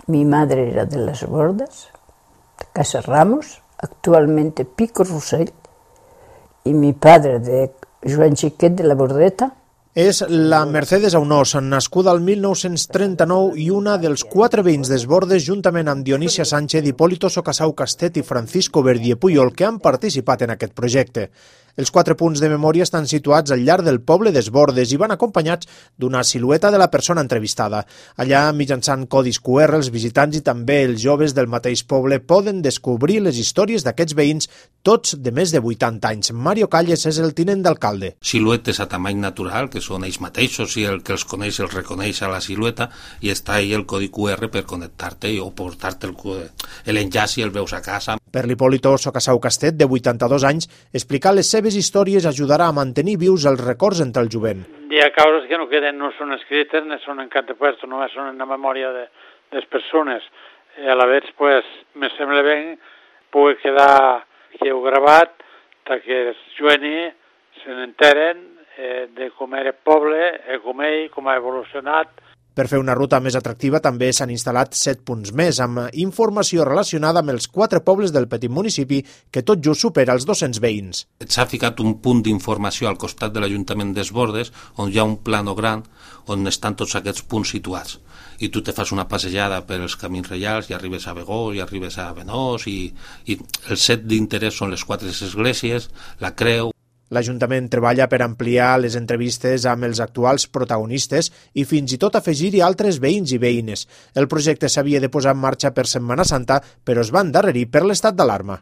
Mi madre era de Las Bordas, de Casa Ramos, actualmente Pico Rossell, y mi padre de Joan Xiquet de la Bordeta. És la Mercedes Aunós, nascuda al 1939 i una dels 4 veïns d'Esbordes, juntament amb Dionísia Sánchez, Hipólito Socasau Castet i Francisco Verdier Puyol, que han participat en aquest projecte. Els 4 punts de memòria estan situats al llarg del poble d'Esbordes i van acompanyats d'una silueta de la persona entrevistada. Allà, mitjançant codis QR, els visitants i també els joves del mateix poble poden descobrir les històries d'aquests veïns, tots de més de 80 anys. Mario Calles és el tinent d'alcalde. Siluetes a tamany natural, que són ells mateixos, i el que els coneix els reconeix a la silueta, i està ahí el codi QR per connectar-te o portar-te l'enllaç i el veus a casa. Per l'Hipólito Socasau Castet, de 82 anys, explicar les seves històries ajudarà a mantenir vius els records entre el jovent. Hi ha causes que no queden, no són escrites, no són en cap de puesto, només són en la memòria de les persones. A la vegada, pues, me sembla bé pugui quedar gravat perquè els joves se n'enteren de com era el poble, com ell, com ha evolucionat. Per fer una ruta més atractiva també s'han instal·lat 7 punts més, amb informació relacionada amb els 4 pobles del petit municipi, que tot just supera els 200 veïns. S'ha ficat un punt d'informació al costat de l'Ajuntament d'Esbordes, on hi ha un plano gran on estan tots aquests punts situats. I tu te fas una passejada per els camins reials i arribes a Begó, i arribes a Benós, i el set d'interès són les 4 esglésies, la creu. L'Ajuntament treballa per ampliar les entrevistes amb els actuals protagonistes i fins i tot afegir-hi altres veïns i veïnes. El projecte s'havia de posar en marxa per Setmana Santa, però es va endarrerir per l'estat d'alarma.